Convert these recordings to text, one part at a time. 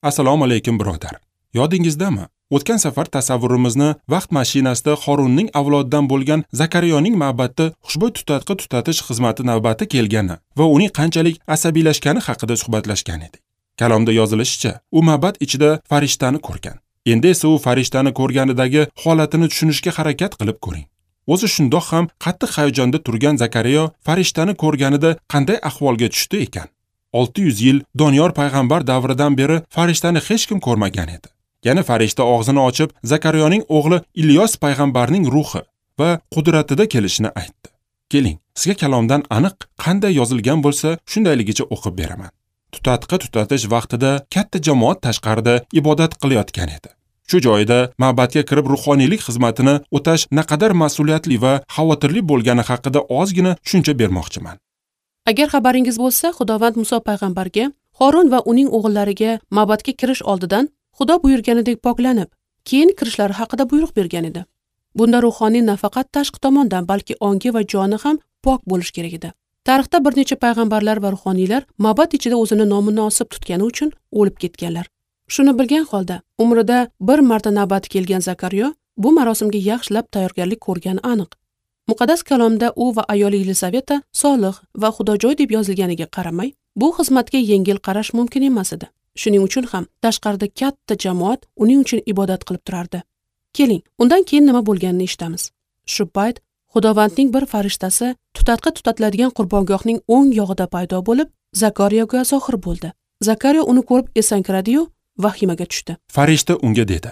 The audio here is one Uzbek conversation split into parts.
Assalomu alaykum, birodar. Yodingizdami? O'tgan safar tasavvurimizni vaqt mashinasida Xorunning avlodidan bo'lgan Zakariyoning ma'batda xushbo'y tutatqi tutatish xizmati navbati kelgani va uning qanchalik asabiylashgani haqida suhbatlashgan edik. Kalomda yozilishicha, u ma'bad ichida farishtani ko'rgan. Endi esa u farishtani ko'rganidagi holatini tushunishga harakat qilib ko'ring. O'zi shundoq ham qattiq hayajonda turgan Zakariyo farishtani ko'rganida qanday ahvolga tushdi ekan? 600 yil Doniyor payg'ambar davridan beri farishtani hech kim ko'rmagan edi. Yana farishta og'zini ochib, Zakariyoning o'g'li Ilyos payg'ambarning ruhi va qudratida kelishini aytdi. Keling, sizga kalomdan aniq qanday yozilgan bo'lsa, shundayligicha o'qib beraman. Tutatqi tutatish vaqtida katta jamoat tashqarida ibodat qilayotgan edi. Shu joyda ma'batga kirib ruhoniylik xizmatini o'tash naqadar mas'uliyatli va xavotirli bo'lgani haqida ozgina tushuncha bermoqchiman. Agar xabaringiz bo'lsa, Xudovand Muso payg'ambarga Xorun va uning o'g'illariga ma'batga kirish oldidan Xudo buyurganidek poklanib, keyin kirishlari haqida buyruq bergan edi. Bunda ruhoniy nafaqat tashqi tomondan, balki ongi va joni ham pok bo'lishi kerak edi. Tarixda bir necha payg'ambarlar va ruhoniylar ma'bad ichida o'zini nomunosib tutgani uchun o'lib ketganlar. Shuni bilgan holda umrida bir marta navbati kelgan Zakariyo bu marosimga yaxshilab tayyorgarlik ko'rgani aniq. Muqaddas kalomda u va ayoli Yelizaveta solih va xudojoy deb yozilganiga qaramay, bu xizmatga yengil qarash mumkin emas edi. Shuning uchun ham tashqarida katta jamoat uning uchun ibodat qilib turardi. Keling, undan keyin nima bo'lganini eshitamiz. Shu payt Xudovandning bir farishtasi tutatqi tutatiladigan qurbongohning o'ng yog'ida paydo bo'lib, Zakariyoga zohir bo'ldi. Zakariyo uni ko'rib esankiradi-yu, vahimaga tushdi. Farishta unga dedi: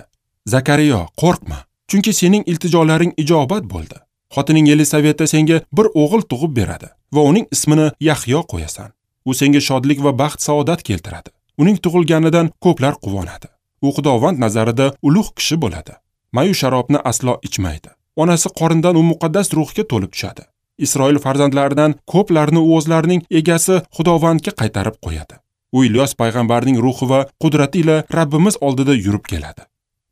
"Zakariyo, qo'rqma, chunki sening iltijolaring ijobat bo'ldi. Xotining Yelizaveta senga bir o'g'il tug'ib beradi va uning ismini Yahyo qo'yasan. U senga shodlik va baxt saodat keltiradi. Uning tug'ilganidan ko'plar quvonadi. U Xudovand nazarida ulug' kishi bo'ladi. Mayu sharobni aslo ichmaydi. Onasi qorindan u muqaddas ruhga to'lib tushadi. Isroil farzandlaridan ko'plarni u o'zlarining egasi Xudovandga qaytarib qo'yadi. U Ilyos payg'ambarning ruhi va qudrati ila Rabbimiz oldida yurib keladi."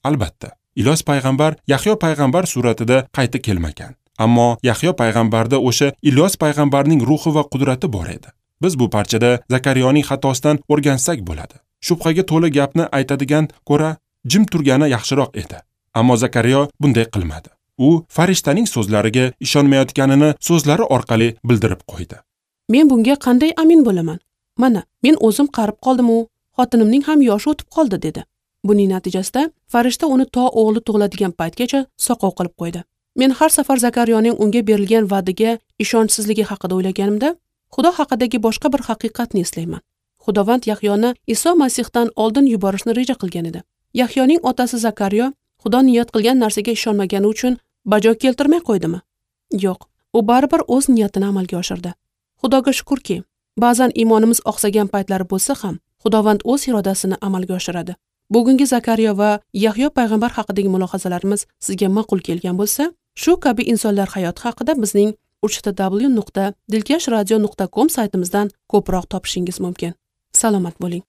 Albatta, Ilyos payg'ambar Yahyo payg'ambar suratida qayta kelmagan. Ammo Yahyo payg'ambarda o'sha Ilyos payg'ambarning ruhi va qudrati bor edi. Biz bu parchada Zakariyoning xatosidan o'rgansak bo'ladi. Shubhaga to'la gapni aytadigan ko'ra jim turgani yaxshiroq edi. Ammo Zakariyo bunday qilmadi. U farishtaning so'zlariga ishonmayotganini so'zlari orqali bildirib qo'ydi. Men bunga qanday amin bo'laman? Mana, men o'zim qarib qoldim-u, xotinimning ham yoshi o'tib qoldi, dedi. Buning natijasida farishta uni to o'g'li tug'iladigan paytgacha soqov qilib qo'ydi. Men har safar Zakariyoning unga berilgan va'daga ishonchsizligi haqida o'ylaganimda, Xudo haqidagi boshqa bir haqiqatni eslayman. Xudovand Yahyoni Iso Masihdan oldin yuborishni reja qilgan edi. Yahyoning otasi Zakariyo Xudo niyat qilgan narsaga ishonmagani uchun bajo keltirmay qo'ydimi? Yo'q, u baribir o'z niyatini amalga oshirdi. Xudoga shukurki, ba'zan iymonimiz oqsagan paytlari bo'lsa ham, Xudovand o'z irodasini amalga oshiradi. Bugungi Zakariyo va Yahyo payg'ambar haqidagi mulohazalarimiz sizga ma'qul kelgan bo'lsa, shu kabi insonlar hayoti haqida bizning www.dilkashradio.com saytimizdan ko'proq topishingiz mumkin. Salomat bo'ling.